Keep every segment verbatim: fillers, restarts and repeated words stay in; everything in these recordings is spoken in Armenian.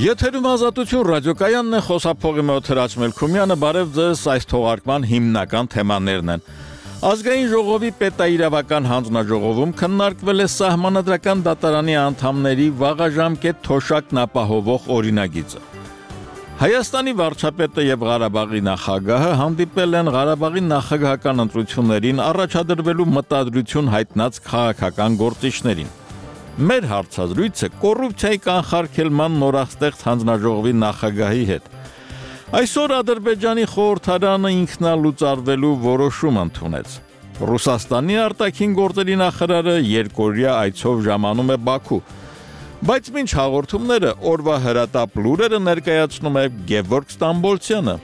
Եթերում ազատություն ռադիոկայանն է, խոսափողի մոտ Հրաչ Մելքումյանը, բարև ձեզ, այս թողարկման հիմնական թեմաներն են։ Ազգային ժողովի պետաիրավական հանձնաժողովում քննարկվել է Սահմանադրական դատարանի անդամների վաղաժամկետ թոշակն ապահովող օրինագիծը։ Հայաստանի վարչապետը եւ Ղարաբաղի նախագահը հանդիպել են Ղարաբաղի նախագահական ընտրություններին առաջադրվելու մտադրություն հայտնած քաղաքական գործիչներին։ Մեր հարցազրույցը կոռուպցիայի կանխարգելման նորաստեղծ հանձնաժողովի նախագահի հետ։ Այսօր Ադրբեջանի խորհրդարանը ինքնալուծարվելու որոշում ընդունեց։ Ռուսաստանի արտաքին գործերի նախարարը երկօրյա այցով ժամանում է Բաքու։ Բայց մինչ հաղորդումները օրվա հրատապ լուրերը ներկայացնում է Գևորգ Ստամբոլցյանը։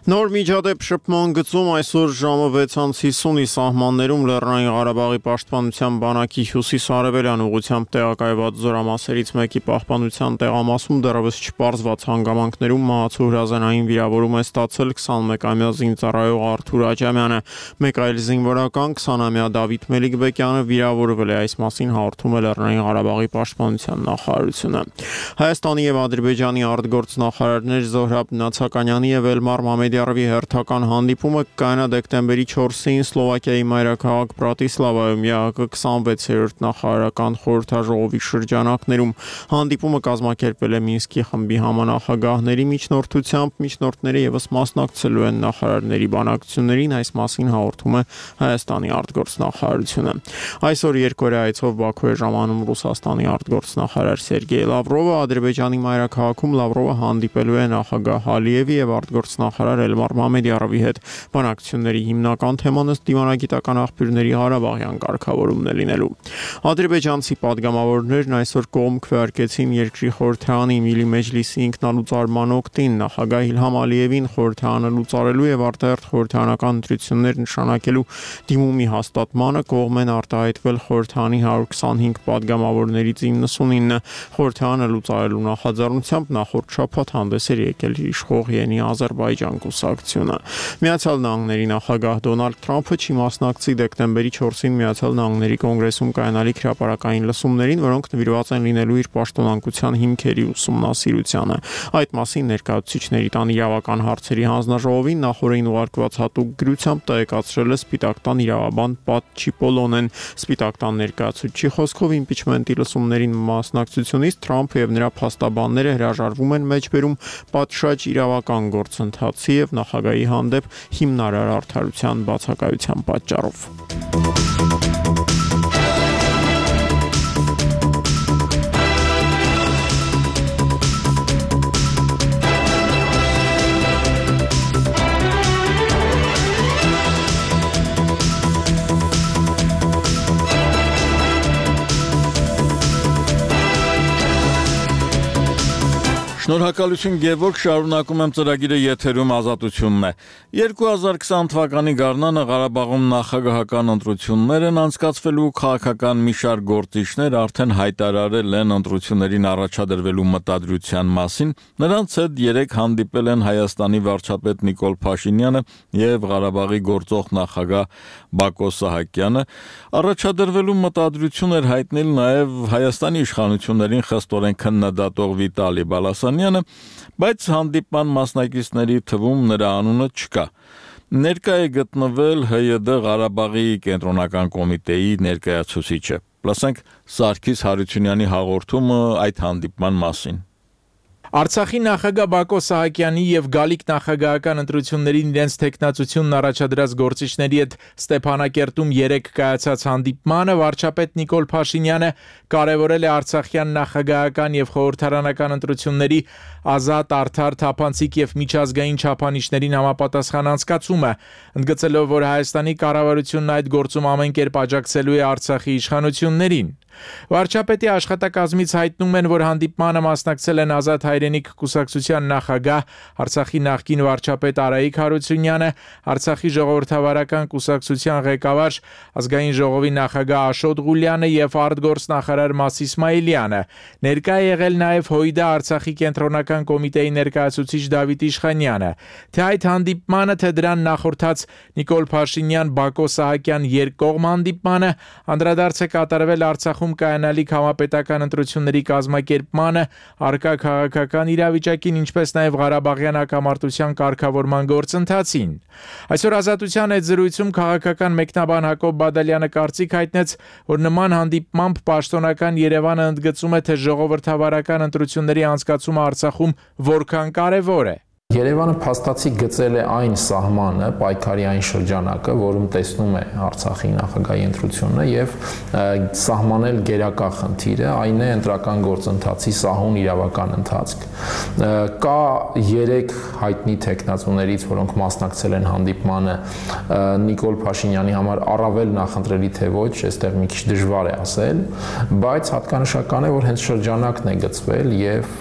Նոր միջադեպ շփման գծում այսօր ժամը վեցից հիսունի սահմաններում Լեռնային Ղարաբաղի պաշտպանության բանակի հյուսիս-արևելյան ուղղությամբ տեղակայված զորամասերից մեկի պահպանության տեղամասում դեռևս չպարզված հանգամանքներում մահացու հրազենային վիրավորում է ստացել քսանմեկամյա զինծառայող Արթուր Աջամյանը, մեկ այլ զինվորական քսանամյա Դավիթ Մելիքբեկյանը վիրավորվել է, այս մասին հաղորդում է Լեռնային Ղարաբաղի պաշտպանության նախարարությունը։ Հայաստանի եւ Ադրբեջանի արտգործնախարարներ Զոհրաբ Նացականյանի եւ Էլմար Մամեդյանի Արվի հերթական հանդիպումը կայանա դեկտեմբերի չորսին Սլովակիայի մայրաքաղաք Բրատիսլավայում ԵԱՀԿ քսանվեցերորդ նախարարական խորհրդաժողովի շրջանակներում։ Հանդիպումը կազմակերպվել է Մինսկի խմբի համանախագահների միջնորդությամբ, միջնորդները ևս մասնակցելու են նախարարների բանակցություններին, այս մասին հաղորդում է Հայաստանի արտգործնախարարությունը։ Այսօր երկօրյա այցով Բաքու է ժամանում Ռուսաստանի արտգործնախարար Սերգեյ Լավրովը, Ադրբեջանի մայրաքաղաքում Լավրովը հանդիպելու է նախագահ Ալիևի եւ արտգործնախարար Էլմար Մամեդյարովի հետ։ Բանակցությունների հիմնական թեման ըստ դիվանագիտական աղբյուրների Ղարաբաղյան կարգավորումն է լինելու։ Ադրբեջանցի падգամավորներն այսօր կողմ քվեարկեցին երկրի խորհրդարանի Միլի Մեջլիսի ինքնալուծարման օգտին, նախագահ Իլհամ Ալիևին խորհրդարանը լուծարելու եւ արտահերթ խորհրդարանական ընտրություններ նշանակելու դիմումի հաստատմանը կողմ են արտահայտվել խորհրդարանի հարյուր քսանհինգ падգամավորներից իննսունինը։ Խորհրդարանը լուծարելու նախաձեռնությամբ նախորդ շաբաթ հանդես էր եկել իշխող Յենի Ադրբեջան կուսակցությունը։ Միացյալ Նահանգների նախագահ Դոնալդ Թրամփը չի մասնակցի դեկտեմբերի չորսին Միացյալ Նահանգների կոնգրեսում կայանալիք հրապարակային լսումներին, որոնք նվիրված են լինելու իր պաշտոնանկության հիմքերի ուսումնասիրությանը։ Այդ մասին ներկայացուցիչների տան իրավական հարցերի հանձնաժողովին նախորդին ուղարկված հատուկ գրությամբ տեղեկացրել է Սպիտակ տան իրավաբան Պատ Չիպոլոնեն։ Սպիտակ տան ներկայացուցչի խոսքով իմպիչմենտի լսումներին մասնակցությունից Թրամփը եւ նրա փաստաբանները հրաժարվում են մեջբերում պատշաճ իրավական գործընթացի եւ նախագահի հանդեպ հիմնարար արդարության բացակայության պատճառով։ Շնորհակալություն Գևորգ, շարունակում եմ ծրագիրը եթերում ազատությունն է։ երկու հազար քսան թվականի գարնանը Ղարաբաղում նախագահական ընտրություններ են անցկացվելու, քաղաքական մի շարք գործիչներ արդեն հայտարարել են ընտրություններին առաջադրվելու մտադրության մասին, նրանց հետ երեկ հանդիպել են Հայաստանի վարչապետ Նիկոլ Փաշինյանը եւ Ղարաբաղի գործող նախագահ Բակո Սահակյանը, առաջադրվելու մտադրություն էր հայտնել նաեւ Հայաստանի իշխանություններին խստորեն քննադատող Վիտալի Բալասանյանը, բայց հանդիպման մասնակիցների թվում նրա անունը չկա։ Ներկա է գտնվել ՀՅԴ Ղարաբաղի կենտրոնական կոմիտեի ներկայացուցիչը։ Լսենք Սարգիս Հարությունյանի հաղորդումը այդ հանդիպման մասին։ Արցախի նախագահ Բակո Սահակյանի եւ Գալիք նախագահական ընտրություններին իրենց տեխնացությունն առաջադրած գործիչների հետ Ստեփանակերտում երեկ կայացած հանդիպմանը վարչապետ Նիկոլ Փաշինյանը կարևորել է արցախյան նախագահական եւ խորհրդարանական ընտրությունների ազատ, արդար, թափանցիկ եւ միջազգային չափանիշներին համապատասխան անցկացումը, ընդգծելով, որ Հայաստանի կառավարությունն այդ գործում ամեն կերպ աջակցելու է Արցախի իշխանություններին։ Վարչապետի աշխատակազմից հայտնում են, որ հանդիպմանը մասնակցել են Ազատ հայրենիք կուսակցության նախագահ, Արցախի նախկին վարչապետ Արայիկ Հարությունյանը, Արցախի ժողովրդավարական կուսակցության ղեկավար, ազգային ժողովի նախագահ Աշոտ Ղուլյանը եւ արտգործնախարար Մաս Իսմայիլյանը։ Ներկա է եղել նաեւ ՀՅԴ Արցախի կենտրոնական քաղաքական կոմիտեի ներկայացուցիչ Դավիթ Իշխանյանը։ Թե այդ հանդիպմանը, թե դրան նախորդած Նիկոլ Փաշինյան-Բակո Սահակյան երկկողմ հանդիպմանը անդրադարձ է կատարվել Արցախում կայանալիք համապետական ընտրությունների կազմակերպմանը, առկա քաղաքական իրավիճակին, ինչպես նաև Ղարաբաղյան հակամարտության կարգավորման գործընթացին։ Այսօր Ազատության այդ զրույցում քաղաքական մեկնաբան Հակոբ Բադալյանը կարծիք հայտնեց, որ նման հանդիպմամբ պաշտոնական Երևանը ընդգծում է, թե ժողովրդավարական ընտրությունների անցկացումը Արցախում որքան կարևոր է։ Երևանը փաստացի գծել է այն սահմանը, պայքարի այն շրջանակը, որում տեսնում է Արցախի նախագահի ընտրությունը եւ սահմանել գերակա խնդիրը, այն է ընտրական գործընթացի սահուն իրավական ընթացք։ Կա երեք հայտնի տեխնացուներից, որոնք մասնակցել են հանդիպմանը, Նիկոլ Փաշինյանի համար առավել նախընտրելի թե ոչ, այստեղ մի քիչ դժվար է ասել, բայց հատկանշական է, որ հենց շրջանակն է գծվել եւ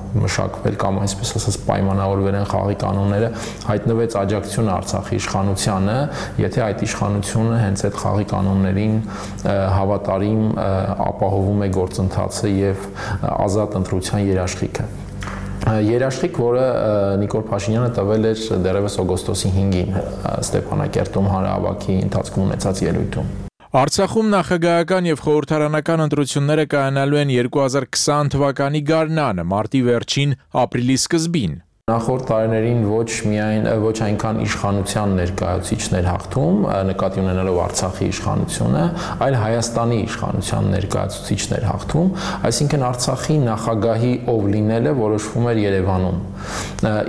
մշակվել կամ այսպես ասած պայմանավորվել են խաղի կանոնները, հայտնվեց աջակցությունը Արցախի իշխանությանը, եթե այդ իշխանությունը հենց այդ խաղի կանոններին հավատարիմ ապահովում է գործընթացը եւ ազատ ընտրության երաշխիքը։ Երաշխիք, որը Նիկոլ Փաշինյանը տվել էր դեռևս օգոստոսի հինգին Ստեփանակերտում հանրահավաքի ընթացքում ունեցած ելույթում։ Արցախում նախագահական եւ խորհրդարանական ընտրությունները կայանալու են երկու հազար քսան թվականի գարնանը, մարտի վերջին, ապրիլի սկզբին։ Նախորդ տարիներին ոչ միայն ոչ այնքան իշխանության ներկայացուցիչներ հաղթում, նկատի ունենալով Արցախի իշխանությունը, այլ Հայաստանի իշխանության ներկայացուցիչներ հաղթում, այսինքն Արցախի նախագահի ով լինելը որոշվում էր Երևանում։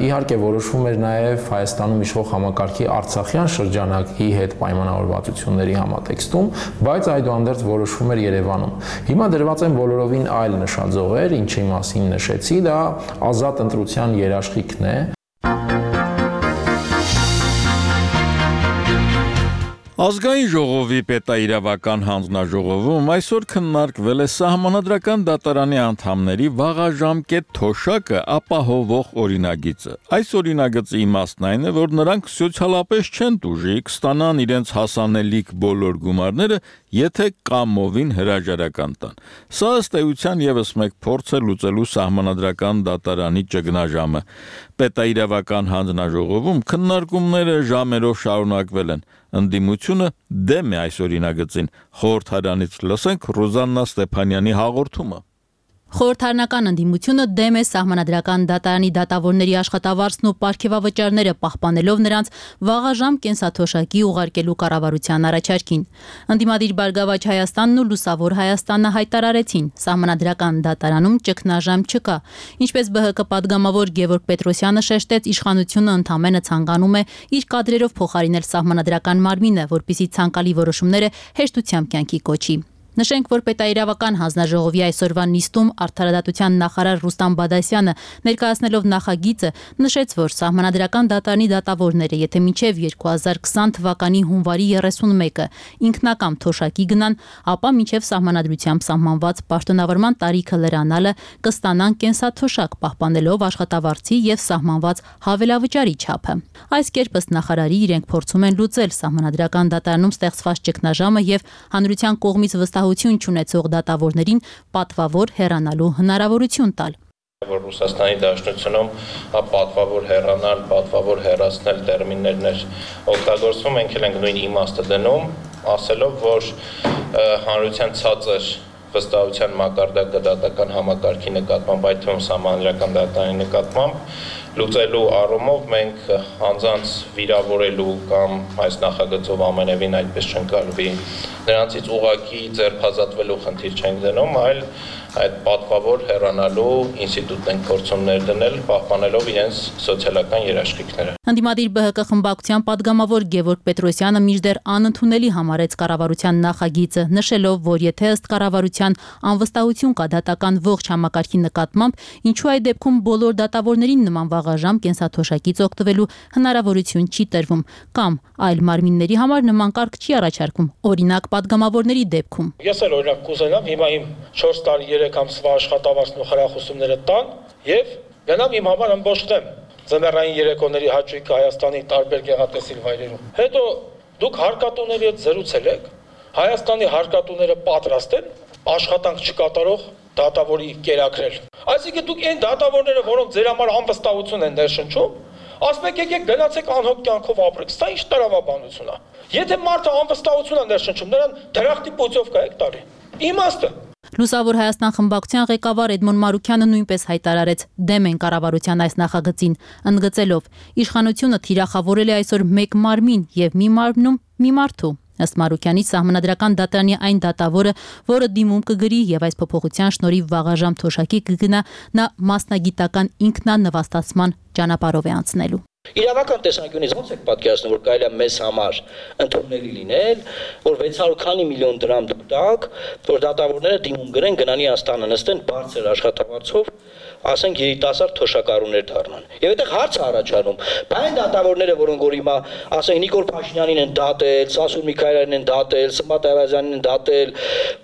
Իհարկե որոշվում էր նաև Հայաստանում իշխող համակարգի Արցախյան շրջանակի հետ պայմանավորվածությունների համատեքստում, բայց այդուհանդերձ որոշվում էր Երևանում։ Հիմա դրված են բոլորովին այլ նշաձողեր, ինչի մասին նշեցի, դա ազատ ընտրության երաշխիք է։ Ազգային ժողովի պետաիրավական հանձնաժողովում այսօր քննարկվել է Սահմանադրական դատարանի անդամների վաղաժամկետ թոշակը ապահովող օրինագիծը։ Այս օրինագծի իմաստն այն է, որ նրանք սոցիալապես չեն տուժի կստանան իրենց հասանելիք բոլոր գումարները, եթե կամովին հրաժարական տան։ Սա ըստ էության ևս մեկ փորձ է լուծելու Սահմանադրական դատարանի ճգնաժամը։ Պետաիրավական հանձնաժողովում քննարկումները ժամերով շարունակվել են։ Ընդդիմությունը դեմ է այս օրինագծին։ Խորհրդարանից լսենք Ռոզաննա Ստեփանյանի հաղորդումը։ Խորհրդարանական ընդդիմությունը դեմ է Սահմանադրական դատարանի դատավորների աշխատավարձն ու պարգևավճարները պահպանելով նրանց վաղաժամ կենսաթոշակի ուղարկելու կառավարության առաջարկին։ Ընդդիմադիր Բարգավաճ Հայաստանն ու Լուսավոր Հայաստանը հայտարարեցին, Սահմանադրական դատարանում ճգնաժամ չկա։ Ինչպես Բ Հ Կ պատգամավոր Գևորգ Պետրոսյանը շեշտեց, իշխանությունը ընդամենը ցանկանում է իր կադրերով փոխարինել Սահմանադրական մարմինը, որպիսի ցանկալի որոշումները հեշտությամբ կյանքի կոչի։ Նշենք, որ պետաիրավական հանձնաժողովի այսօրվա նիստում արդարադատության նախարար Ռուստամ Բադասյանը ներկայացնելով նախագիծը նշեց, որ Սահմանադրական դատարանի դատավորները, եթե մինչև երկու հազար քսան թվականի հունվարի երեսունմեկը ինքնակամ թոշակի գնան, ապա մինչև Սահմանադրությամբ սահմանված պաշտոնավարման տարիքը լրանալը կստանան կենսաթոշակ, պահպանելով աշխատավարձի եւ սահմանված հավելավճարի չափը։ Այս կերպ ըստ նախարարի իրենք փորձում են լուծել Սահմանադրական դատարանում ստեղծված ճգնաժամը եւ հանրության կողմից վստահություն չունեցող դատավորներին պատվավոր հեռանալու հնարավորություն տալ։ Որ Ռուսաստանի Դաշնությունում պատվավոր հեռանալ, պատվավոր հեռացնել տերմիններներ օգտագործվում, մենք էլ ենք նույն իմաստը դնում, ասելով, որ հանրության ցածր վստահության մակարդակը դատական համակարգի նկատմամբ, այդ թվում Սահմանադրական դատարանի նկատմամբ լուծելու առումով մենք անձանց վիրավորելու կամ այս նախագծով ամենևին այդպես չընկալվի նրանցից ուղղակի ձերբազատվելու խնդիր չենք դնում, այլ այդ պատվավոր հեռանալու ինստիտուտն ենք փորձում ներդնել, պահպանելով իրենց սոցիալական երաշխիքները։ Ընդդիմադիր Բ Հ Կ խմբակցության падգամավոր Գևորգ Պետրոսյանը մինչդեռ անընդունելի համարեց կառավարության նախագիծը, նշելով, որ եթե ըստ կառավարության անվստահություն կա դատական ողջ համակարգի նկատմամբ, ինչու այդ դեպքում բոլոր դատավորներին նման վաղաժամ կենսաթոշակից օգտվելու հնարավորություն չի տրվում, կամ այլ մարմինների համար նման կարգ չի առաջարկում, օրինակ падգամավորների դեպքում։ Ես էլ օրինակ կուզենամ հիմա իմ չորս տարի երեք ամսվա աշխատավարձն ու խրախուսումները տան եւ գնամ իմ համար ըմբոշխնեմ ձմեռային երեկոների հաճույքը Հայաստանի տարբեր գեղատեսիլ վայրերում։ Հետո դուք հարկատուների հետ զրուցել եք, Հայաստանի հարկատուները պատրաստ են աշխատանք չկատարող դատավորի կերակրել։ Այսինքն դուք այն դատավորները, որոնք ձեր համար անվստահություն են ներշնչում, ասում եք եկեք գնացեք անհոգ կյանքով ապրեք, սա ինչ տրավաբանություն է։ Եթե մարդը անվստահություն է ներշնչում, նրան դրախտի պոծովկա եք տալի։ Իմաստը։ Լուսավոր Հայաստան խմբակցության ղեկավար Էդմոն Մարուքյանը նույնպես հայտարարեց դեմ են կառավարության այս նախագծին, ընդգծելով. իշխանությունը թիրախավորել է այսօր մեկ մարմին եւ մի մարմնում մի մարդու։ Ըստ Մարուքյանի սահմանադրական դատարանի այն դատավորը, որը դիմում կգրի եւ այս փոփոխության շնորհիվ վաղաժամ թոշակի կգնա, նա մասնագիտական ինքնանվաստացման ճանապարհով է անցնելու։ Իրավական տեսանկյունից ո՞նց եք պատկերացնում, որ կարելի է մեզ համար ընդունելի լինել, որ վեց հարյուր քանի միլիոն դրամ տակ, որ դատավորները դիմում գրեն գնանի Աստանը նստեն բարձր աշխատավարձով, ասենք երիտասարդ թոշակառուներ դառնան։ Եվ այդտեղ հարց է առաջանում, բայն դատավորները, որոնք որ հիմա, ասենք Նիկոլ Փաշինյանին են դատել, Սասուն Միքայելյանին են դատել, Սմբատ Այվազյանին են դատել,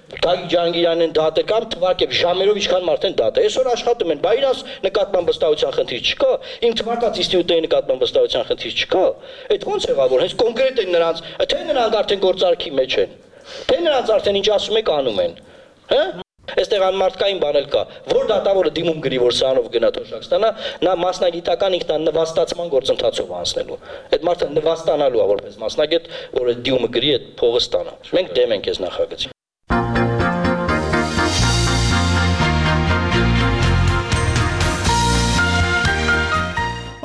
Գագիկ Ջանգիրյանին են դատել, կամ թվարկեք ժամերով ինչքան մարդ են դատել։ Այսօր աշխատում են, բա իրաց նկատմամբ վստահության խնդիր չկա, իմ թվարկած ինստիտուտների նկատմամբ վստահության խնդիր չկա։ Այդ ո՞նց եղավ, որ հենց կոնկրետ են նրանց, թե նրանք արդեն գործարքի մեջ են, թե նրանց արդեն ինչ ասում եք անում են, հա։ Այստեղ անմարդկային բան էլ կա, որ դատավորը դիմում գրի, որ սրանով գնա թոշակ ստանա, նա մասնագիտական ինքնանվաստացման գործընթացով անցնելու։ Այդ մարդը նվաստանալու է որպես մասնագետ, որ այդ դիմումը գրի, այդ փողը ստանա։ Մենք դեմ ենք այս նախագծին։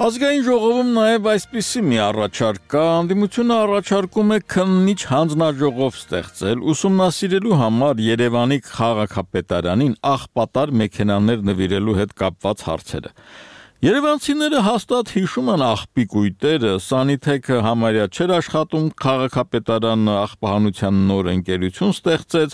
Ազգային ժողովում նաև այսպիսի մի առաջարկ կա, անդիմությունը առաջարկում է քննիչ հանձնաժողով ստեղծել, ուսումնասիրելու համար Երևանի քաղաքապետարանին աղբատար մեքենաներ նվիրելու հետ կապված հարցերը։ Երևանցիները հաստատ հիշում են աղբի կույտերը, Սանիթեքը համարյա չէր աշխատում, քաղաքապետարանը աղբահանության նոր ընկերություն ստեղծեց,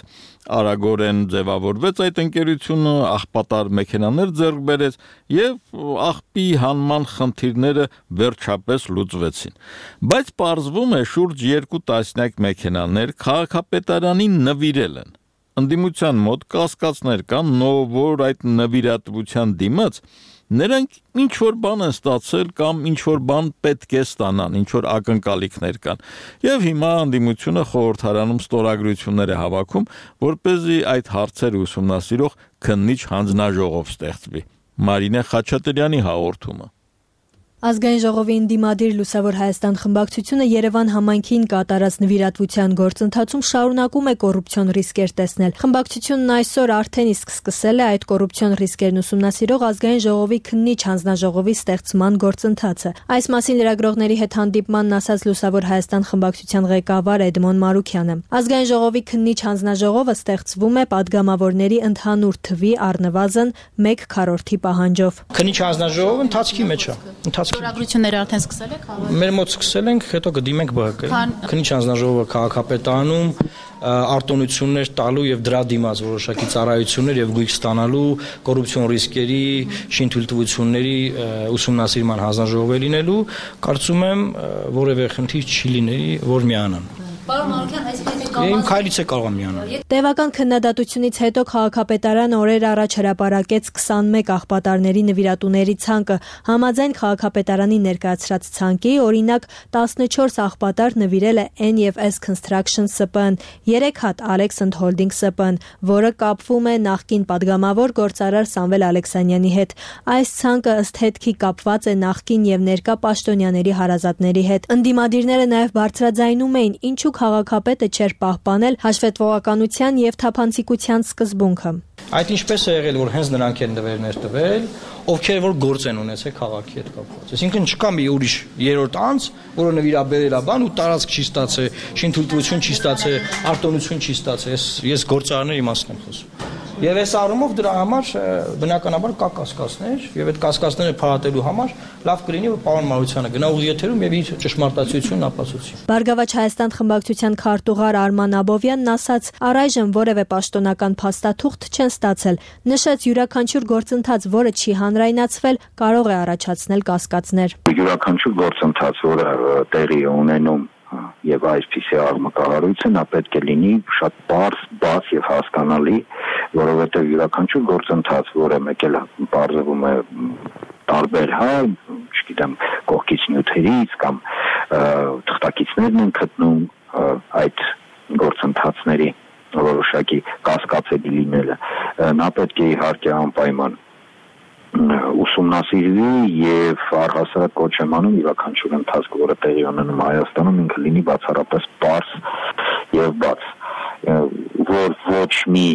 արագորեն ձևավորվեց այդ ընկերությունը, աղբատար մեքենաներ ձեռք բերեց եւ աղբի հանման խնդիրները վերջապես լուծվեցին։ Բայց պարզվում է շուրջ երկու տասնյակ մեքենաներ քաղաքապետարանին նվիրել են։ Ընդդիմության մոտ կասկածներ կան, որ այդ նվիրատվության դիմաց նրանք ինչ որ բան են ստացել կամ ինչ որ բան պետք է ստանան, ինչ որ ակնկալիքներ կան։ Եվ հիմա անդիմությունը խորհրդարանում ստորագրություններ է հավաքում, որպեսզի այդ հարցերը ուսումնասիրող քննիչ հանձնաժողով ստեղծվի։ Մարինե Խաչատրյանի հաղորդումը։ Ազգային ժողովի ընդդիմադիր Լուսավոր Հայաստան խմբակցությունը Երևան համայնքին կատարած նվիրատվության գործընթացում շարունակում է կոռուպցիոն ռիսկեր տեսնել։ Խմբակցությունն այսօր արդեն իսկ սկսել է այդ կոռուպցիոն ռիսկերն ուսումնասիրող Ազգային ժողովի քննիչ հանձնաժողովի ստեղծման գործընթացը։ Այս մասին լրագրողների հետ հանդիպմանն ասաց Լուսավոր Հայաստան խմբակցության ղեկավար Էդմոն Մարուքյանը։ Ազգային ժողովի քննիչ հանձնաժողովը ստեղծվում է падգամավորների ընդհանուր թվի առնվազն մեկ քառորդի պահանջով։ Քննիչ հանձնաժողովը ընթացքի մեջ է։ Ստորագրությունները արդեն սկսել եք հավաք։ Մեր մոտ սկսել ենք, հետո կդիմենք ԲՀԿ-ին։ Քննիչ հանձնաժողովը քաղաքապետարանում արտոնություններ տալու եւ դրա դիմաց որոշակի ծառայություններ եւ գույք ստանալու կոռուպցիոն ռիսկերի, շինթույլտվությունների ուսումնասիրման հանձնաժողով է լինելու, կարծում եմ որևէ խնդիր չի լինի, որ միանան։ Պարոն Մարուքյան, այսինքն Իմ քայլից է կարող միանալ։ Տևական քննադատությունից հետո քաղաքապետարանը օրեր առաջ հրապարակեց քսանմեկ աղբատարների նվիրատուների ցանկը, համաձայն քաղաքապետարանի ներկայացրած ցանկի, օրինակ տասնչորս աղբատար նվիրել է N և S Construction S P N, երեք հատ Alexand Holding S P N, որը կապվում է նախկին падգամավոր գործարար Սամվել Ալեքսանյանի հետ։ Այս ցանկը ըստ հետքի կապված է նախկին եւ ներկա պաշտոնյաների հարազատների հետ։ Ընդդիմադիրները նաեւ բարձրաձայնում էին, ինչու քաղաքապետը չէր պահպանել հաշվետվողականության եւ թափանցիկության սկզբունքը։ Այդ ինչպես է եղել, որ հենց նրանք են նվերներ տվել, ովքեր որ գործ են ունեցել քաղաքի հետ կապված։ Այսինքն չկա մի ուրիշ երրորդ անձ, որը նվիրաբերել է բան ու տարածք չի ստացել, շինթույլտվություն չի ստացել, արտոնություն չի ստացել։ Ես ես գործարարների մասն եմ խոսում։ Եվ այս առումով դրա համար բնականաբար կա կասկածներ, եւ այդ կասկածները փարատելու համար լավ կլինի, որ պարոն Մարությանը գնա ուղիղ եթերում եւ իր ճշմարտացիությունն ապացուցի։ Բարգավաճ Հայաստան խմբակցության քարտուղար Արման Աբովյանն ասաց, առայժմ որևէ պաշտոնական փաստաթուղթ չեն ստացել, նշեց յուրաքանչյուր գործընթաց, որը չի հանրայնացվել, կարող է առաջացնել կասկածներ։ Յուրաքանչյուր գործընթաց, որը տեղի է ունենում եւ այսպիսի աղմկահարույցը նա պետք է լինի շատ բարձ, բաց եւ հասկանալի, որովհետեւ յուրաքանչյուր գործընթաց, որը մեկ էլ բարձվում է տարբեր, հա, չգիտեմ, կողքից նյութերից կամ թղթակիցներն են գտնում այդ գործընթացների որոշակի կասկածելի լինելը, նա պետք է իհարկե անպայման ուսումնասիրվի եւ առհասարակ կոչ եմ անում յուրաքանչյուր ընթացք, որը տեղի ունենում Հայաստանում, ինքը լինի բացառապես պարզ եւ բաց, որ ոչ մի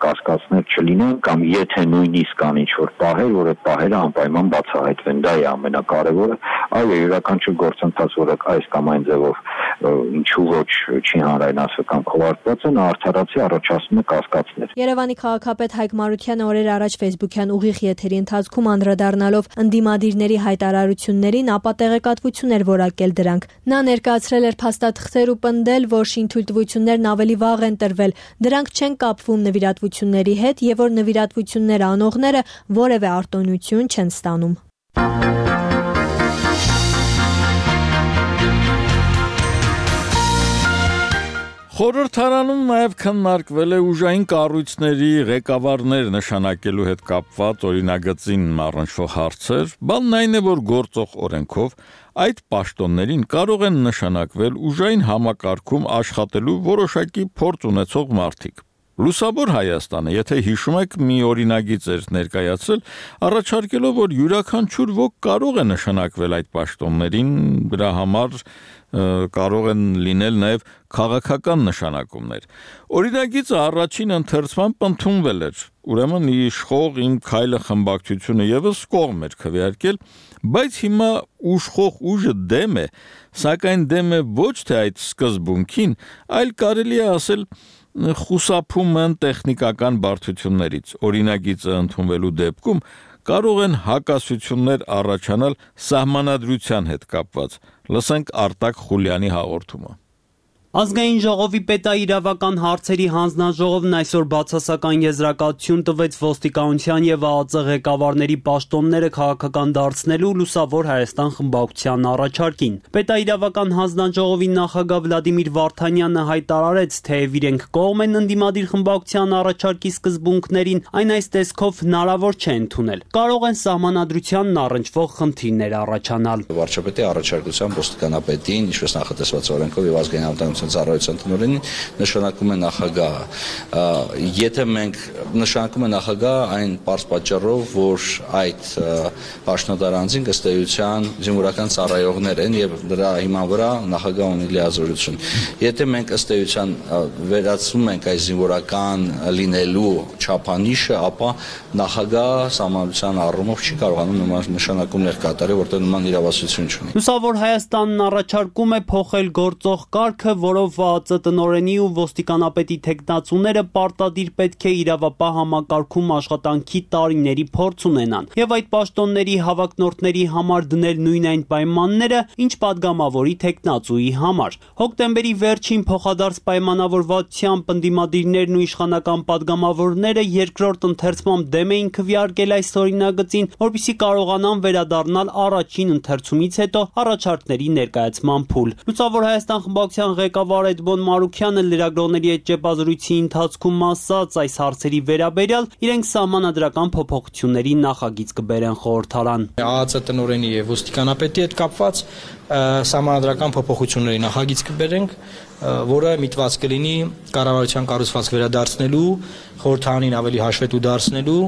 կասկածներ չլինեն կամ եթե նույնիսկ կան ինչ-որ պահեր, որ այդ պահերը անպայման բացահայտվեն, դա է ամենակարևորը, այո, յուրաքանչյուր գործընթաց, որը այս կամ այն ձևով ինչու ոչ չի հանրայնացվել կամ քողարկված է, նա արդարացի առաջացնում է կասկածներ։ Երևանի քաղաքապետ Հայկ Մարությանը օրեր առաջ Facebook-յան ուղիղ եթերի ընթացքում անդրադառնալով ընդդիմադիրների հայտարարություններին, ապա տեղեկատվություն էր որակել դրանք։ Նա ներկայացրել էր փաստաթղթեր ու պնդել, որ շինթույլտվություններն ավելի վաղ են տրվել, դրանք չեն կապվում նվիրատվությունների հետ եւ որ նվիրատվություններ անողները որևէ արտոնություն չեն ստանում։ Խորհրդարանում նաև քննարկվել է ուժային կառույցների ղեկավարներ նշանակելու հետ կապված օրինագծին առնչվող հարցեր, բանն այն է, որ գործող օրենքով այդ պաշտոններին կարող են նշանակվել ուժային համակարգում աշխատելու որոշակի փորձ ունեցող մարդիկ։ Լուսավոր Հայաստանը, եթե հիշում եք, մի օրինագիծ էր ներկայացրել, առաջարկելով, որ յուրաքանչյուր ոք կարող է նշանակվել այդ պաշտոններին, դրա համար կարող են լինել նաև քաղաքական նշանակումներ։ Օրինագիծը առաջին ընթերցմամբ ընդունվել էր, ուրեմն իշխող Իմ քայլը խմբակցությունը ևս կողմ էր քվեարկել, բայց հիմա ուշխող ուժը դեմ է, սակայն դեմ է ոչ թե այդ սկզբունքին, այլ կարելի է ասել խուսափում են տեխնիկական բարդություններից։ Օրինագիծը ընդունվելու դեպքում կարող են հակասություններ առաջանալ սահմանադրության հետ կապված։ Լսենք Արտակ Խուլյանի հաղորդումը։ Ազգային ժողովի պետաիրավական հարցերի հանձնաժողովն այսօր բացասական եզրակացություն տվեց ոստիկանության եւ ԱԱԾ ղեկավարների պաշտոնները քաղաքական դարձնելու Լուսավոր Հայաստան խմբակցության առաջարկին։ Պետաիրավական հանձնաժողովի նախագահ Վլադիմիր Վարդանյանը հայտարարեց, թեև իրենք կողմ են ընդդիմադիր խմբակցության առաջարկի սկզբունքներին, այն այս տեսքով հնարավոր չէ ընդունել։ Կարող են սահմանադրությանն առնչվող խնդիրներ առաջանալ։ Վարչապետի առաջարկությամբ ոստիկանապետին, ինչպես նախատեսված օրենքով եւ ազգային ծառայության տնօրենին նշանակում է նախագահը։ Եթե մենք նշանակում է նախագահը այն պարզ պատճառով, որ այդ պաշտոնատար անձին ըստ էության զինվորական ծառայողներ են եւ դրա հիման վրա նախագահը ունի լիազորություն։ Եթե մենք ըստ էության վերացնում ենք այս զինվորական լինելու չափանիշը, ապա նախագահը սահմանության առումով չի կարողանում նման նշանակումներ կատարել, որտեղ նման իրավասություն չունի։ Լուսավոր Հայաստանն առաջարկում է փոխել գործող կարգը, որով ԱԱԾ տնօրենի ու ոստիկանապետի թեկնածուները պարտադիր պետք է իրավապահ համակարգում աշխատանքի տարիների փորձ ունենան եւ այդ պաշտոնների հավակնորդների համար դնել նույն այն պայմանները, ինչ падգամավորի թեկնածուի համար։ Հոկտեմբերի վերջին փոխադարձ պայմանավորվածությամբ ընդդիմադիրներն ու իշխանական падգամավորները երկրորդ ընթերցմամբ դեմ էին քվեարկել այս օրինագծին, որպեսզի կարողանան վերադառնալ առաջին ընթերցումից հետո առաջարկների ներկայացման փուլ։ Լուսավոր Հայաստան խմբակցության ղեկավար Էդմոն Մարուքյանը լրագրողների հետ ճեպազրույցի ընթացքում ասաց, այս հարցերի վերաբերյալ իրենք սահմանադրական փոփոխությունների նախագիծ կբերեն խորհրդարան։ ԱԱԾ տնօրենի եւ ոստիկանապետի հետ կապված սահմանադրական փոփոխությունների նախագիծ կբերենք, որը միտված կլինի կառավարության կառուցվածք վերադարձնելու, խորհրդարանին ավելի հաշվետու դարձնելու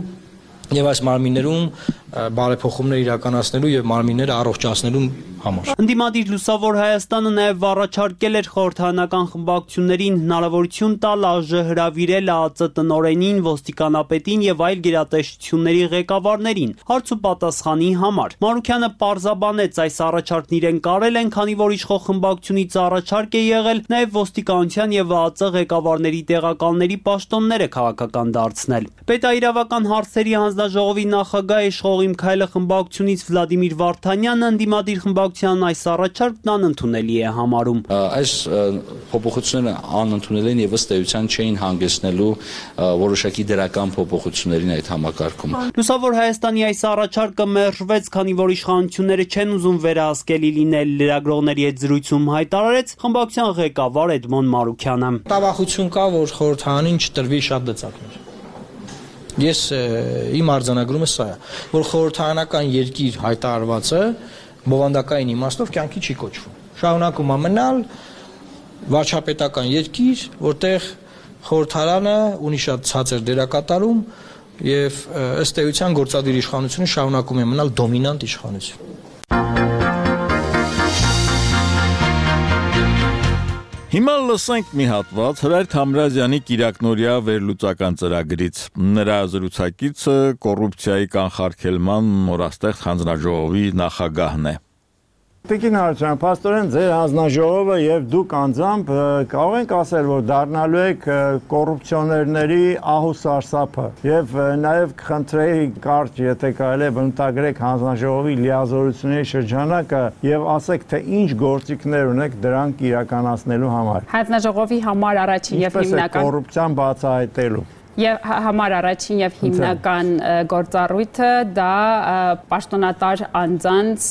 եւ այս մարմիններում բարեփոխումներ իրականացնելու եւ մարմինները առողջացնելու համար։ Ընդդիմադիր Լուսավոր Հայաստանը նաև առաջարկել էր խորհրդարանական խմբակցություններին հնարավորություն տալ ԱԺ հրավիրել ԱԱԾ տնօրենին, ոստիկանապետին եւ այլ գերատեսչությունների ղեկավարներին հարց ու պատասխանի համար։ Մարուքյանը պարզաբանեց, այս առաջարկն իրեն կարել են, քանի որ իշխող խմբակցությունից առաջարկ է եղել նաև ոստիկանության եւ ԱԱԾ ղեկավարների տեղակալների պաշտոնները քաղաքական դարձնել։ Պետաիրավական հարցերի հանձնաժողովի նախագահ իշխող Իմ քայլը խմբակցությունից Վլադիմիր Վարդանյանը ընդդիմադիր խմբակցության այս առաջարկն անընդունելի է համարում։ Այս փոփոխությունները անընդունելի են եւ ըստ էության չէին հանգեցնելու որոշակի դրական փոփոխություններին այդ համակարգում։ Լուսավոր Հայաստանի այս առաջարկը մերժվեց, քանի որ իշխանությունները չեն ուզում վերահսկելի լինել, լրագրողների հետ զրույցում հայտարարեց խմբակցության ղեկավար Էդմոն Մարուքյանը։ Տավախություն կա, որ խորհրդարանին չտրվի շատ դծակներ։ Ես իմ արձանագրումը սա է, որ խորհրդարանական երկիր հայտարարվածը բովանդակային իմաստով կյանքի չի կոչվում։ Շարունակում է մնալ վարչապետական երկիր, որտեղ խորհրդարանը ունի շատ ցածր դերակատարում եւ ըստ էության գործադիր իշխանությունը շարունակում է մնալ դոմինանտ իշխանություն։ Հիմա լսենք մի հատված Հրայր Թամրազյանի Կիրակնորիա վերլուծական ծրագրից։ Նրա զրուցակիցը կոռուպցիայի կանխարգելման նորաստեղծ հանձնաժողովի նախագահն է։ Տիկին Հարությունյան, փաստորեն ձեր հանձնաժողովը եւ դուք անձամբ կարող ենք ասել, որ դառնալու եք կոռուպցիոներների ահու սարսափը եւ նաեւ կխնդրեի կարճ, եթե կարելի է բնութագրեք հանձնաժողովի լիազորությունների շրջանակը եւ ասեք, թե ինչ գործիքներ ունեք դրանք իրականացնելու համար։ Հանձնաժողովի համար առաջին եւ հիմնական կոռուպցիան բացահայտելու Եվ համար առաջին եւ հիմնական գործառույթը դա պաշտոնատար անձանց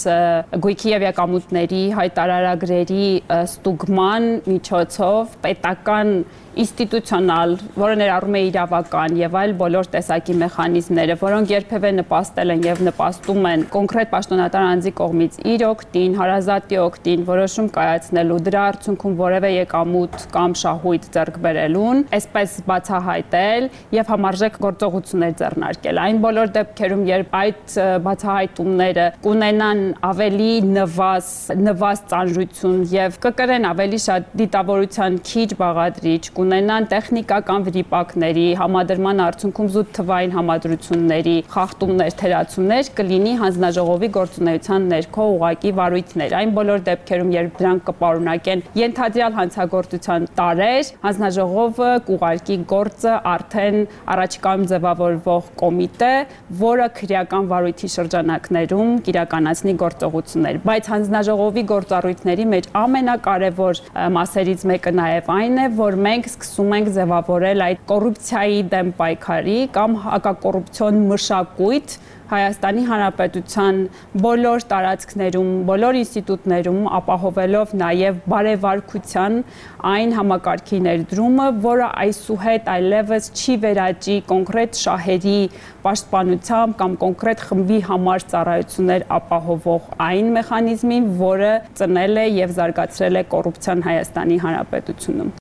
գույքի եւ եկամուտների հայտարարագրերի ստուգման միջոցով պետական ինստիտուցիոնալ, որը ներառում է իրավական եւ այլ բոլոր տեսակի մեխանիզմները, որոնք երբևէ նպաստել են եւ նպաստում են կոնկրետ պաշտոնատար անձի կողմից իր օգտին, հարազատի օգտին որոշում կայացնելու, դրա արդյունքում որևէ եկամուտ կամ շահույթ ձեռք բերելուն, այսպես բացահայտել եւ համարժեք գործողություններ ձեռնարկել։ Այն բոլոր դեպքերում, երբ այդ բացահայտումները կունենան ավելի նվազ, նվազ ծանրություն եւ կկրեն ավելի շատ դիտավորության քիչ բաղադրիչ, կունենան տեխնիկական վրիպակների, համադրման արդյունքում զուտ թվային համադրությունների, խախտումներ, թերացումներ կլինի հանձնաժողովի գործունեության ներքո ուղղակի վարույթներ։ Այն բոլոր դեպքերում, երբ դրանք կպարունակեն ենթադրյալ հանցագործության տարեր, հանձնաժողովը կուղարկի գործը արդեն առաջիկայում ձևավորվող կոմիտե, որը քրեական վարույթի շրջանակներում կիրականացնի գործողություններ։ Բայց հանձնաժողովի գործառույթների մեջ ամենակարևոր մասերից մեկը նաև այն է, որ մենք սկսում ենք ձևավորել այդ կոռուպցիայի դեմ պայքարի կամ հակակոռուպցիոն մշակույթ Հայաստանի Հանրապետության բոլոր տարածքներում, բոլոր ինստիտուտներում ապահովելով նաև բարեվարկության այն համակարգի ներդրումը, որը այսուհետ այլևս չի վերաճի կոնկրետ շահերի պաշտպանությամբ կամ կոնկրետ խմբի համար ծառայություններ ապահովող այն մեխանիզմին, որը ծնել է եւ զարգացրել է կոռուպցիան Հայաստանի Հանրապետությունում։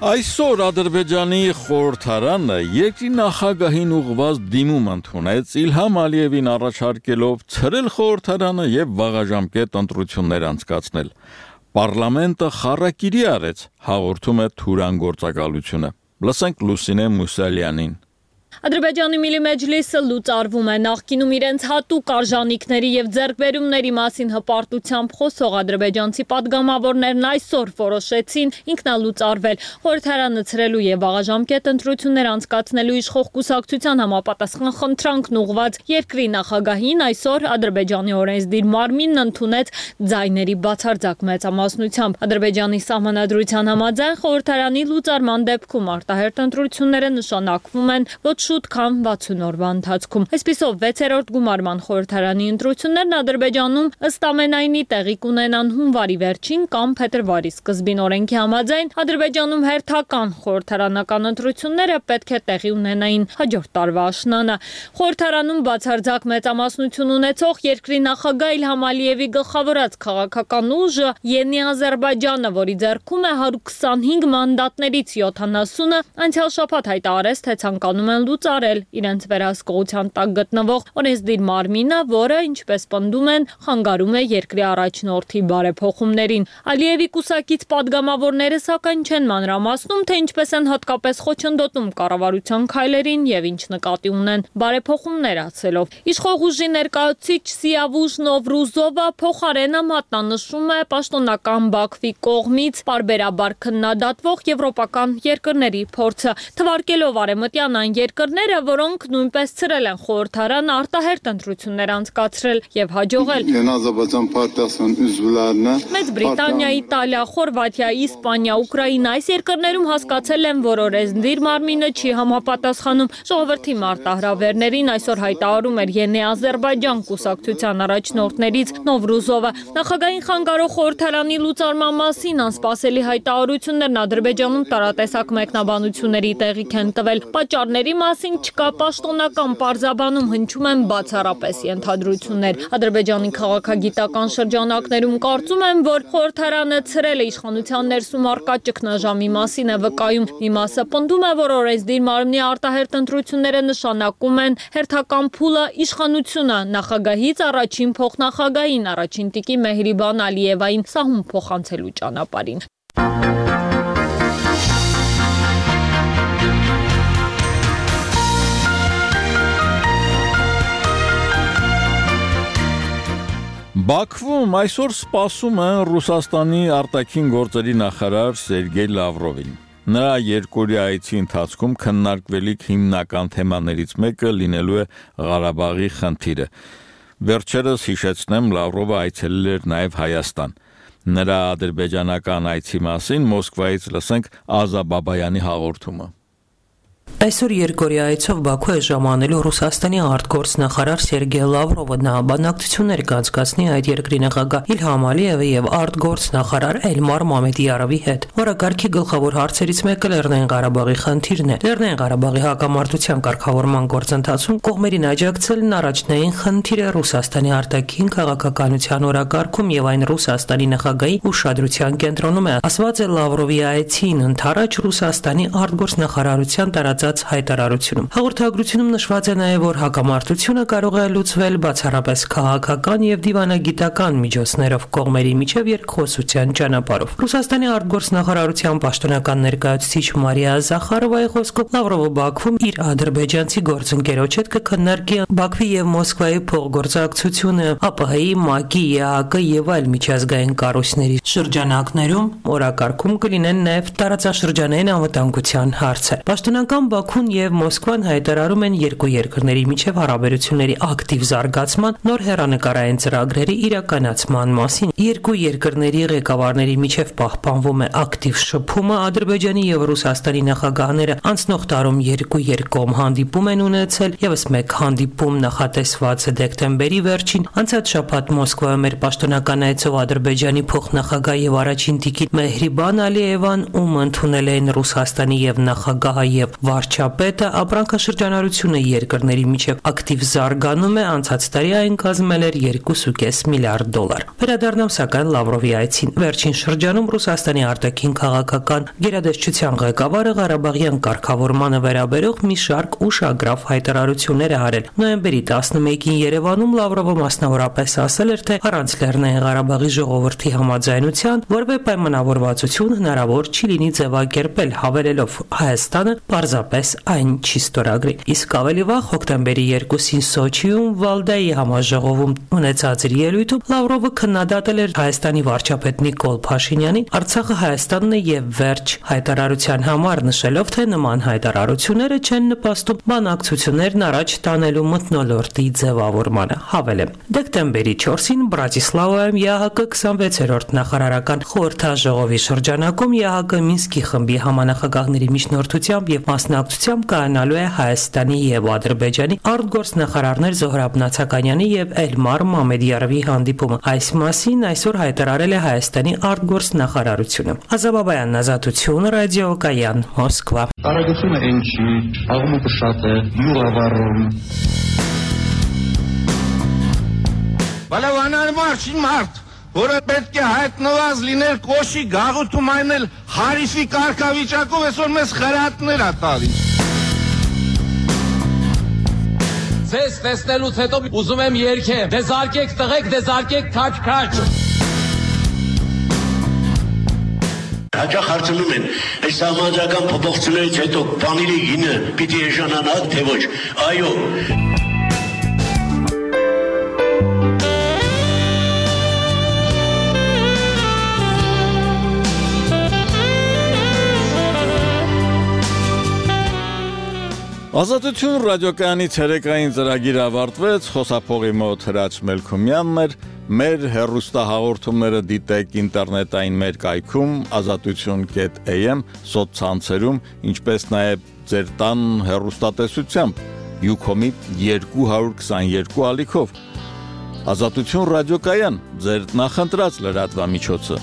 Այսօր Ադրբեջանի խորհրդարանը երկրի նախագահին ուղղված դիմում ընդունեց Իլհամ Ալիևին առաջարկելով ցրել խորհրդարանը եւ վաղաժամկետ ընտրություններ անցկացնել։ Պարլամենտը խառակիրի արեց, հաղորդում է Թուրան գործակալությունը։ Լսենք Լուսինե Մուսալյանին։ Ադրբեջանի Միլի Մեջլիսը լուծարվում է նախկինում իրենց հատուկ արժանինքների եւ ձեռքբերումների մասին հպարտությամբ խոսող ադրբեջանցի падգամավորներն այսօր որոշեցին ինքնալուծարվել խորհրդարանը ցրելու եւ վաղաժամկետ ընտրություններ անցկացնելու իշխող կուսակցության համապատասխան խնդրանքն ուղղված երկրի նախագահին այսօր Ադրբեջանի օրենսդիր մարմինն ընդունեց ձայների բացարձակ մեծամասնությամբ։ Ադրբեջանի սահմանադրության համաձայն խորհրդարանի լուծարման դեպքում արտահերթ ընտրությունները նշանակվում են ոչ շուտ քան վաթսուն օրվա ընթացքում։ Այսպիսով վեցերորդ գումարման խորհրդարանի ընտրություններն Ադրբեջանում ըստ ամենայնի տեղի կունենան հունվարի վերջին կամ փետրվարի սկզբին օրենքի համաձայն Ադրբեջանում հերթական խորհրդարանական ընտրությունները պետք է տեղի ունենային հաջորդ տարվա աշնանը։ Խորհրդարանում բացարձակ մեծամասնություն ունեցող երկրի նախագահ Իլհամ Ալիևի գլխավորած քաղաքական ուժը Յենի Ադրբեջանը, որի ձեռքում է հարյուր քսանհինգ մանդատներից յոթանասունը, անցյալ շաբաթ հայտարարեց, թե ցանկանում են լուծարել իրենց վերահսկողության տակ գտնվող օրենսդիր մարմինը, որը, ինչպես պնդում են, խանգարում է երկրի առաջնորդի բարեփոխումներին։ Ալիևի կուսակից падգամավորները սակայն չեն մանրամասնում, թե ինչպես են հատկապես խոչընդոտում կառավարության քայլերին եւ ինչ նկատի ունեն բարեփոխումներ ասելով։ Իշխող ուժի ներկայացուցիչ Սիավուժ Նովրուզովը փոխարենը մատնանշում է պաշտոնական Բաքվի կողմից պարբերաբար քննադատվող եվրոպական երկրների փորձը, թվարկելով արևմտյան այն երկրները, որոնք նույնպես ցրել են խորհրդարան արտահերթ ընտրություններ անցկացրել եւ հաջողել։ Մեծ Բրիտանիա, Իտալիա, Խորվաթիա, Իսպանիա, Ուկրաինա այս երկրներում հասկացել են, որ օրենսդիր մարմինը չի համապատասխանում ժողովրդի մարտահրավերներին, այսօր հայտարարում էր Յենի Ադրբեջան կուսակցության առաջնորդներից Նովրուզովը։ Նախագահային խանգարող խորհրդարանի լուծարման մասին անսպասելի հայտարարություններն Ադրբեջանում տարատեսակ մեկնաբանությունների տեղիք են տվել։ Պատճառների մասին մասին չկա պաշտոնական պարզաբանում, հնչում են բացառապես ենթադրություններ։ Ադրբեջանի քաղաքագիտական շրջանակներում կարծում են, որ խորհրդարանը ցրել է իշխանության ներսում առկա ճգնաժամի մասին է վկայում։ Մի մասը պնդում է, որ օրենսդիր մարմնի արտահերթ ընտրությունները նշանակում են հերթական փուլը իշխանությունը նախագահից առաջին փոխնախագահին, առաջին տիկին Մեհրիբան Ալիևային սահուն փոխանցելու ճանապարհին։ Բաքվում այսօր սպասում են Ռուսաստանի արտաքին գործերի նախարար Սերգեյ Լավրովին։ Նրա երկօրյա այցի ընթացքում քննարկվելիք հիմնական թեմաներից մեկը լինելու է Ղարաբաղի խնդիրը։ Վերջերս հիշեցնեմ, Լավրովը այցելել էր նաև Հայաստան։ Նրա ադրբեջանական այցի մասին Մոսկվայից լսենք Ազա Բաբայանի հաղորդումը։ Այսօր երկօրյա այցով Բաքու է ժամանելու Ռուսաստանի արտգործնախարար Սերգեյ Լավրովը, նա բանակցություններ կանցկացնի այդ երկրի նախագահ Իլհամ Ալիևի եւ արտգործնախարար Էլմար Մամեդիարովի հետ։ Օրակարգի գլխավոր հարցերից մեկը Լեռնային Ղարաբաղի խնդիրն է։ Լեռնային Ղարաբաղի հակամարտության կարգավորման գործընթացում կողմերին աջակցելն առաջնային խնդիր է Ռուսաստանի արտաքին քաղաքականության օրակարգում եւ այն Ռուսաստանի նախագահի ուշադրության կենտրոնում է, ասված է Լավրովի այցին ընթരാճ Ռուսաստանի արտգործնախարարության տարածած հայտարարությունում։ Հաղորդագրությունում նշված է նաև, որ հակամարտությունը կարող է լուծվել բացառապես քաղաքական եւ դիվանագիտական միջոցներով կողմերի միջև երկխոսության ճանապարհով։ Ռուսաստանի արտգործնախարարության պաշտոնական ներկայացուցիչ Մարիա Զախարովայի խոսքով Լավրովը Բաքվում իր ադրբեջանցի գործընկերոջ հետ կքննարկի Բաքվի եւ Մոսկվայի փոխգործակցությունը, ԱՊՀ-ի, ՄԱԿ-ի, ԵԱՀԿ եւ այլ միջազգային կառույցների շրջանակներում օրակարգում կլինեն նաև տարածաշրջանային անվտանգության հարցեր։ Պաշտոնական Բաքուն եւ Մոսկվան հայտարարում են երկու երկրների միջև հարաբերությունների ակտիվ զարգացման, նոր հեռանկարային ծրագրերի իրականացման մասին։ Երկու երկրների ղեկավարների միջև պահպանվում է ակտիվ շփումը, Ադրբեջանի եւ Ռուսաստանի նախագահները անցնող տարում երկու երկկողմ հանդիպում են ունեցել, եւս մեկ հանդիպում նախատեսված է դեկտեմբերի վերջին։ Անցած շաբաթ Մոսկվայում էր պաշտոնական այցով Ադրբեջանի փոխնախագահ եւ առաջին տիկին Մեհրիբան Ալիևան, ում ընդունել էին Ռուսաստանի եւ նախագահը եւ վարչապետը, ապրանքաշրջանառությունը երկրների միջև ակտիվ զարգանում է, անցած տարի այն կազմել էր երկու կόμμα պենս միլիարդ դոլար։ Վերադառնամ սակայն Լավրովի այցին։ Վերջին շրջանում Ռուսաստանի արտաքին քաղաքական գերատեսչության ղեկավարը Ղարաբաղյան կարգավորմանը վերաբերող մի շարք ուշագրավ հայտարարություններ է արել։ Նոյեմբերի տասնմեկին Երևանում Լավրովը մասնավորապես ասել էր, թե առանց Լեռնային Ղարաբաղի ժողովրդի համաձայնության որևէ պայմանավորվածություն հնարավոր չի լինի ձևակերպել, հավելելով Հայաստանը պարզապես այն չի ստորագրի։ Իսկ ավելի վաղ հոկտեմբերի երկուսին Սոչիում Վալդայի համաժողովում ունեցած իր ելույթում Լավրովը քննադատել էր Հայաստանի վարչապետ Նիկոլ Փաշինյանի Արցախը Հայաստանն է եւ վերջ հայտարարության համար, նշելով, թե նման հայտարարությունները չեն նպաստում բանակցություններն առաջ տանելու մթնոլորտի ձևավորմանը։ Հավելեմ, դեկտեմբերի չորսին Բրատիսլավայում ԵԱՀԿ քսանվեցերորդ նախարարական խորհրդաժողովի շրջանակում ԵԱՀԿ Մինսկի խմբի համանախագահների միջնորդությամբ եւ մասնակցությամբ կայանալու է Հայաստանի եւ Ադրբեջանի արտգործնախարարներ Զոհրաբ Նացականյանի եւ Էլմար Մամեդիարովի հանդիպումը։ Այս մասին այսօր հայտարարել է Հայաստանի արտգործնախարարությունը։ Ազաբաբայան Ազատություն, ռադիոկայան, Մոսկվա։ Արագությունը այն չի, աղմուկը շատ է, յուղավառում։ Բալավանար մարշին մարդ, որը պետք է հայտնված լինել կոշի գաղութում այնել հարիսի կարգավիճակով այսօր մեզ խրատներ ա տալիս։ Ձեզ տեսնելուց հետո ուզում եմ երգեմ, դեզարկեք տղեկ, դեզարկեք քաչ-քաչ։ Հաճախ հարցնում են, այս համաձայնական փոփոխություններից հետո բաների գինը պիտի էժանանա, թե ոչ։ Այո։ Ազատություն ռադիոկայանի ցերեկային ծրագիրը ավարտվեց, խոսափողի մոտ Հրաչ Մելքումյանն էր, մեր հեռուստահաղորդումները դիտեք ինտերնետային մեր կայքում ազատություն կետ էյ էմ սոցցանցերում, ինչպես նաև ձեր տան հեռուստատեսությամբ Յուքոմի երկու հարյուր քսաներկու ալիքով։ Ազատություն ռադիոկայան, ձեր նախընտրած լրատվամիջոցը։